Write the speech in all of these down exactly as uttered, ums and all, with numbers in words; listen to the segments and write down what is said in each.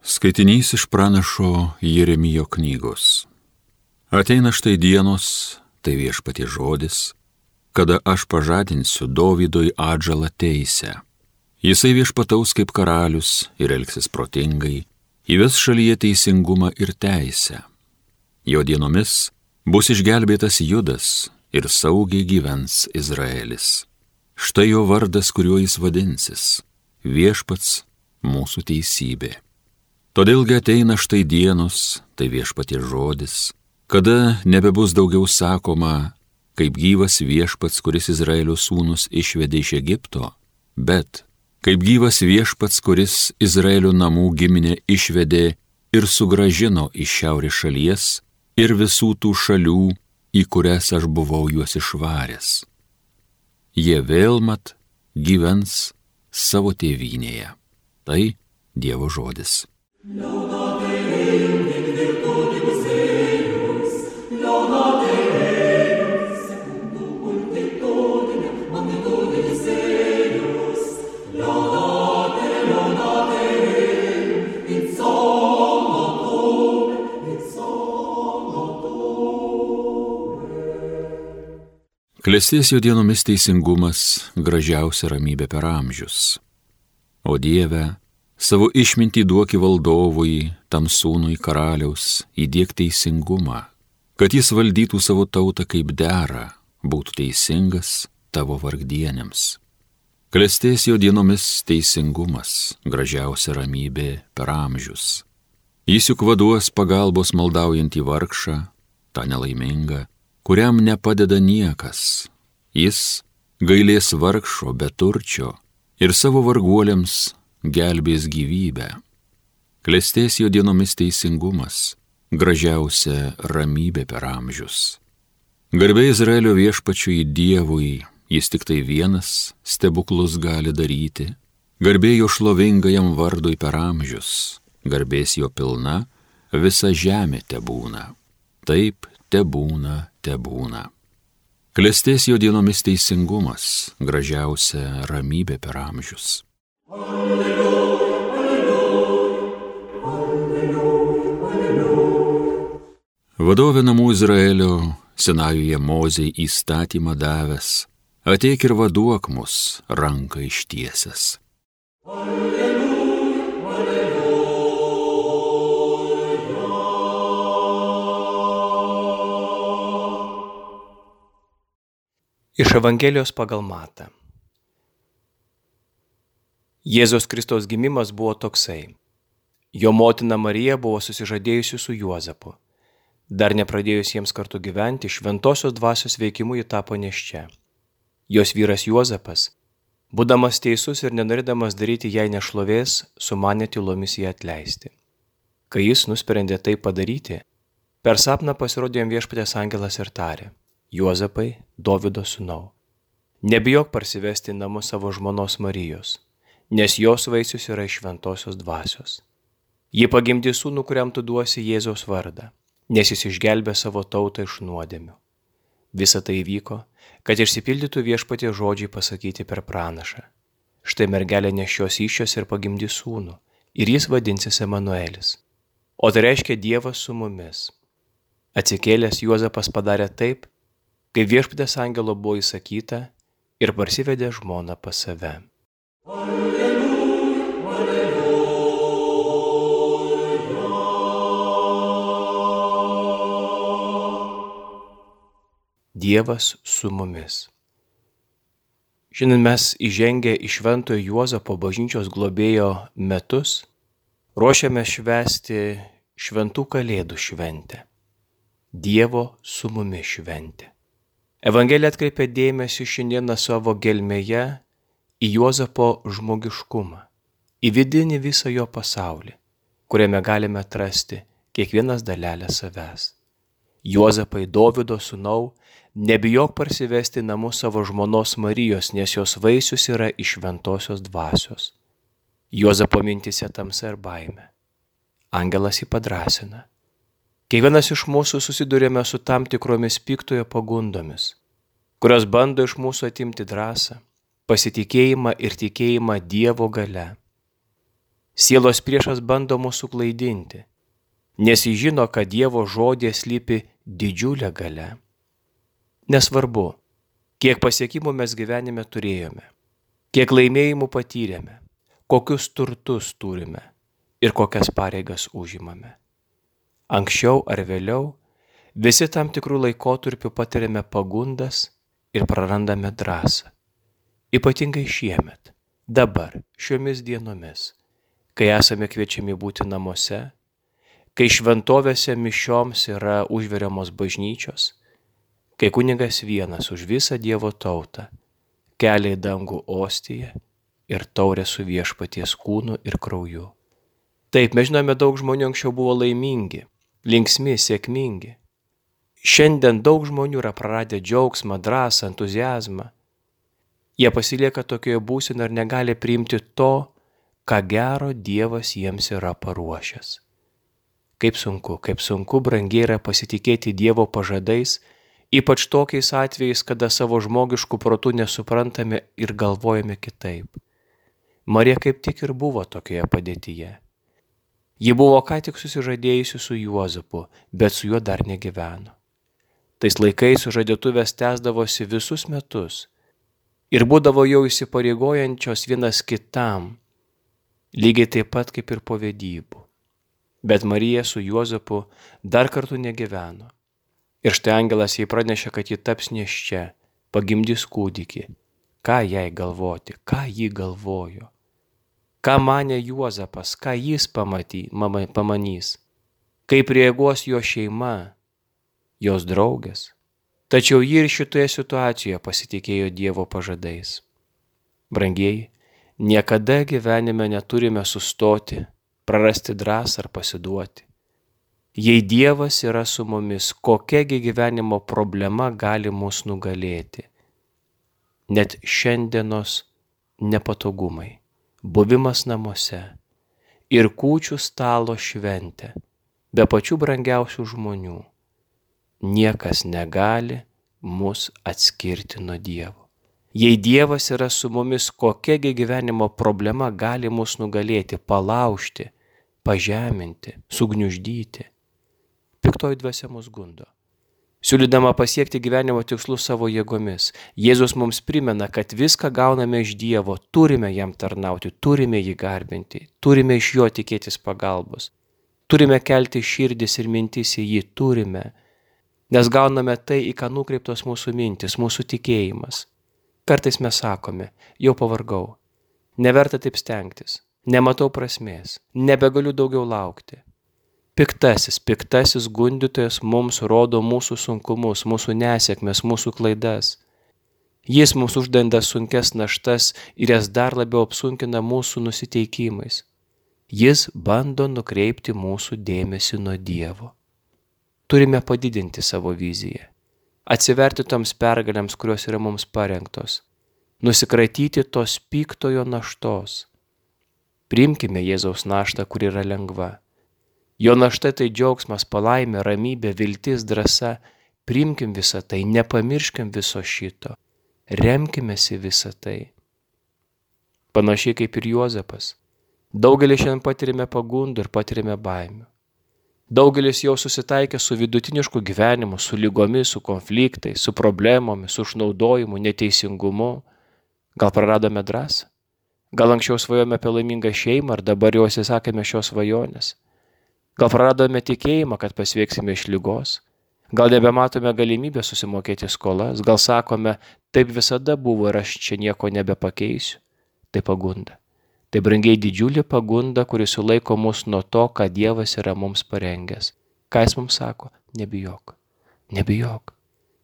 Skaitinys iš pranašo Jeremijo knygos. Ateina štai dienos, tai viešpaties žodis, kada aš pažadinsiu Dovydui atžalą teisę. Jisai viešpataus kaip karalius ir elgsis protingai, įves šalyje teisingumą ir teisę. Jo dienomis bus išgelbėtas Judas ir saugiai gyvens Izraelis. Štai jo vardas, kuriuo jis vadinsis - viešpats mūsų teisybė. Todėlgi ateina štai dienos, tai viešpaties žodis, kada nebebus daugiau sakoma, kaip gyvas viešpats, kuris Izraelio sūnus išvedė iš Egipto, bet kaip gyvas viešpats, kuris Izraelio namų giminę išvedė ir sugrąžino iš šiaurės šalies ir visų tų šalių, į kurias aš buvau juos išvaręs. Jie vėl mat gyvens savo tėvynėje. Tai Dievo žodis. Laudate Deum in virtutibus eius, laudate Deum secundum multitudinem magnitudis eius, laudate, laudate Deum in sommatum, in sommatum. Klestės jo dienomis teisingumas, gražiausia ramybė per amžius. O Dieve, savo išmintį duoki valdovui, tam sūnui karaliaus, įdiek teisingumą, kad jis valdytų savo tautą kaip dera, būtų teisingas tavo vargdienėms. Klestės jo dienomis teisingumas, gražiausia ramybė per amžius. Jis juk vaduos pagalbos maldaujantį vargšą, tą nelaimingą, kuriam nepadeda niekas. Jis gailės vargšo beturčio ir savo varguoliams gelbės gyvybę. Klestės jo dienomis teisingumas, gražiausia ramybė per amžius. Garbė Izraelio viešpačiui Dievui, jis tik tai vienas stebuklus gali daryti. Garbė jo šlovingajam vardui per amžius, garbės jo pilna, visa žemė tebūna. Taip tebūna, tebūna. Klestės jo dienomis teisingumas, gražiausia ramybė per amžius. Alleluja, alleluja, alleluja, alleluja. Vadovė namų Izraelio, Sinajuje Mozei įstatymą davęs, ateik ir vaduok mus ranką ištiesęs. Alleluja, alleluja. Iš Evangelijos pagal Matą. Jėzaus Kristaus gimimas buvo toksai. Jo motina Marija buvo susižadėjusi su Juozapu. Dar nepradėjus jiems kartu gyventi, šventosios dvasios veikimu ji tapo nėščia. Jos vyras Juozapas, būdamas teisus ir nenorėdamas daryti jai nešlovės, sumanė tylomis ją atleisti. Kai jis nusprendė tai padaryti, per sapną pasirodė jam viešpaties angelas ir tarė: Juozapai, Dovydo sūnau, nebijok parsivesti į namus savo žmonos Marijos, nes jos vaisius yra iš šventosios dvasios. Ji pagimdys sūnų, kuriam tu duosi Jėzaus vardą, nes jis išgelbė savo tautą iš nuodėmių. Visa tai įvyko, kad išsipildytų viešpaties žodžiai pasakyti per pranašą. Štai mergelė nešios įsčios ir pagimdys sūnų, ir jis vadinsis Emanuelis. O tai reiškia Dievas su mumis. Atsikėlęs Juozapas padarė taip, kaip viešpaties angelo buvo įsakyta, ir parsivedė žmoną pas save. Alleluja, alleluja. Dievas su mumis. Šiandien mes įžengę į Šventojo Juozapo bažnyčios globėjo metus, ruošiame švęsti šventų kalėdų šventę. Dievo su mumis šventė. Evangelija atkreipia dėmesį šiandieną savo gelmėje į Juozapo žmogiškumą, į vidinį visą jo pasaulį, kuriame galime atrasti kiekvienas dalelę savęs. Juozapai, Dovydo sūnau, nebijok parsivesti į namus savo žmonos Marijos, nes jos vaisius yra iš šventosios dvasios. Juozapo mintise tamsa ir baimė. Angelas jį padrąsina. Kiekvienas iš mūsų susidurėme su tam tikromis piktojo pagundomis, kurios bando iš mūsų atimti drąsą, pasitikėjimą ir tikėjimą Dievo gale. Sielos priešas bando mūsų klaidinti, nes jis žino, kad Dievo žodė slypi didžiulė galia. Nesvarbu, kiek pasiekimų mes gyvenime turėjome, kiek laimėjimų patyrėme, kokius turtus turime ir kokias pareigas užimame. Anksčiau ar vėliau visi tam tikrų laikotarpių patiriame pagundas ir prarandame drąsą. Ypatingai šiemet, dabar, šiomis dienomis, kai esame kviečiami būti namuose, kai šventovėse mišioms yra užveriamos bažnyčios, kai kunigas vienas už visą Dievo tautą kelia į dangų ostiją ir taurę su viešpaties kūnu ir krauju. Taip, mes žinome, daug žmonių anksčiau buvo laimingi, linksmi, sėkmingi. Šiandien daug žmonių yra praradę džiaugsmą, drąsą, entuziazmą. Jie pasilieka tokioje būsenoje ir negali priimti to, ką gero Dievas jiems yra paruošęs. Kaip sunku, kaip sunku brangiai yra pasitikėti Dievo pažadais, ypač tokiais atvejais, kada savo žmogiškų protų nesuprantame ir galvojame kitaip. Marija kaip tik ir buvo tokioje padėtyje. Ji buvo ką tik susižadėjusi su Juozapu, bet su juo dar negyveno. Tais laikais sužadėtuvės tęsdavosi visus metus ir būdavo jau įsipareigojančios vienas kitam, lygiai taip pat kaip ir po vedybų. Bet Marija su Juozapu dar kartu negyveno. Ir štai angelas jai pranešė, kad ji taps nėščia, pagimdys kūdikį. Ką jai galvoti, ką ji galvojo? Ką manė Juozapas, ką jis pamatys, mama, pamanys? Kaip reaguos jo šeima, jos draugės? Tačiau ji ir šitoje situacijoje pasitikėjo Dievo pažadais. Brangieji, niekada gyvenime neturime sustoti, prarasti drąsą ar pasiduoti. Jei Dievas yra su mumis, kokiagi gyvenimo problema gali mus nugalėti? Net šiandienos nepatogumai, buvimas namuose ir kūčių stalo šventė, be pačių brangiausių žmonių, niekas negali mus atskirti nuo Dievo. Jei Dievas yra su mumis, kokiagi gyvenimo problema gali mus nugalėti, palaužti, pažeminti, sugniuždyti? Piktoji dvasia mus gundo. Siūlydama pasiekti gyvenimo tikslus savo jėgomis, Jėzus mums primena, kad viską gauname iš Dievo, turime jam tarnauti, turime jį garbinti, turime iš jo tikėtis pagalbos, turime kelti širdis ir mintis į jį, turime, nes gauname tai, į ką nukreiptos mūsų mintis, mūsų tikėjimas. Kartais mes sakome, jau pavargau, neverta taip stengtis, nematau prasmės, nebegaliu daugiau laukti. Piktasis, piktasis gundytojas mums rodo mūsų sunkumus, mūsų nesėkmes, mūsų klaidas. Jis mums uždenda sunkes naštas ir jas dar labiau apsunkina mūsų nusiteikimais. Jis bando nukreipti mūsų dėmesį nuo Dievo. Turime padidinti savo viziją, atsiverti toms pergalėms, kurios yra mums parengtos, nusikratyti tos piktojo naštos. Priimkime Jėzaus naštą, kuri yra lengva. Jo našta tai džiaugsmas, palaimė, ramybė, viltis, drąsa. Priimkim visą tai, nepamirškim viso šito, remkimės į visą tai. Panašiai kaip ir Juozapas, daugelis šiandien patirime pagundų ir patirime baimių. Daugelis jau susitaikė su vidutinišku gyvenimu, su lygomis, su konfliktais, su problemomis, su išnaudojimu, neteisingumu. Gal praradome drąsą? Gal anksčiau svajojome apie laimingą šeimą, ar dabar jau atsisakėme šios svajonės? Gal praradome tikėjimą, kad pasveiksime iš ligos? Gal nebematome galimybę susimokėti skolas? Gal sakome, taip visada buvo ir aš čia nieko nebepakeisiu? Tai pagunda. Tai brangiai didžiulė pagunda, kuris sulaiko mus nuo to, ką Dievas yra mums parengęs. Ką jis mums sako? Nebijok. Nebijok.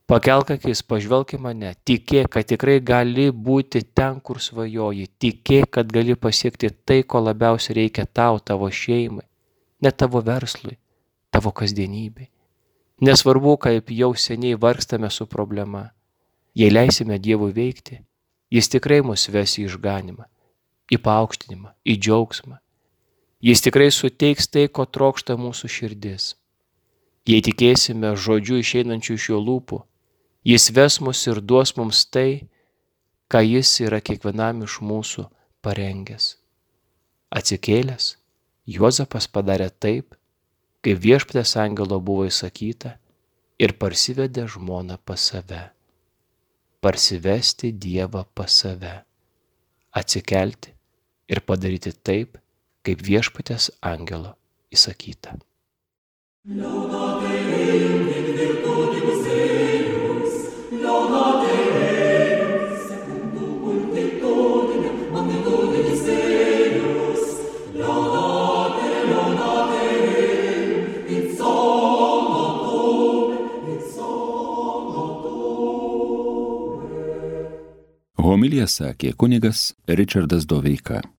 Pakelk akis, pažvelk į mane, tikėk, kad tikrai gali būti ten, kur svajoji, tikėk, kad gali pasiekti tai, ko labiausiai reikia tau, tavo šeimai, net tavo verslui, tavo kasdienybei. Nesvarbu, kaip jau seniai vargstame su problema, jei leisime Dievui veikti, jis tikrai mus ves į išganimą, į paaukštinimą, į džiaugsmą. Jis tikrai suteiks tai, ko trokšta mūsų širdis. Jei tikėsime žodžiu išeinančių iš jo lūpų, jis ves mus ir duos mums tai, ką jis yra kiekvienam iš mūsų parengęs. Atsikėlęs, Juozapas padarė taip, kaip viešpaties angelo buvo įsakyta, ir parsivedė žmoną pas save. Parsivesti Dievą pas save. Atsikelti ir padaryti taip, kaip viešpaties angelo įsakyta. Homiliją sakė kunigas Ričardas Doveika.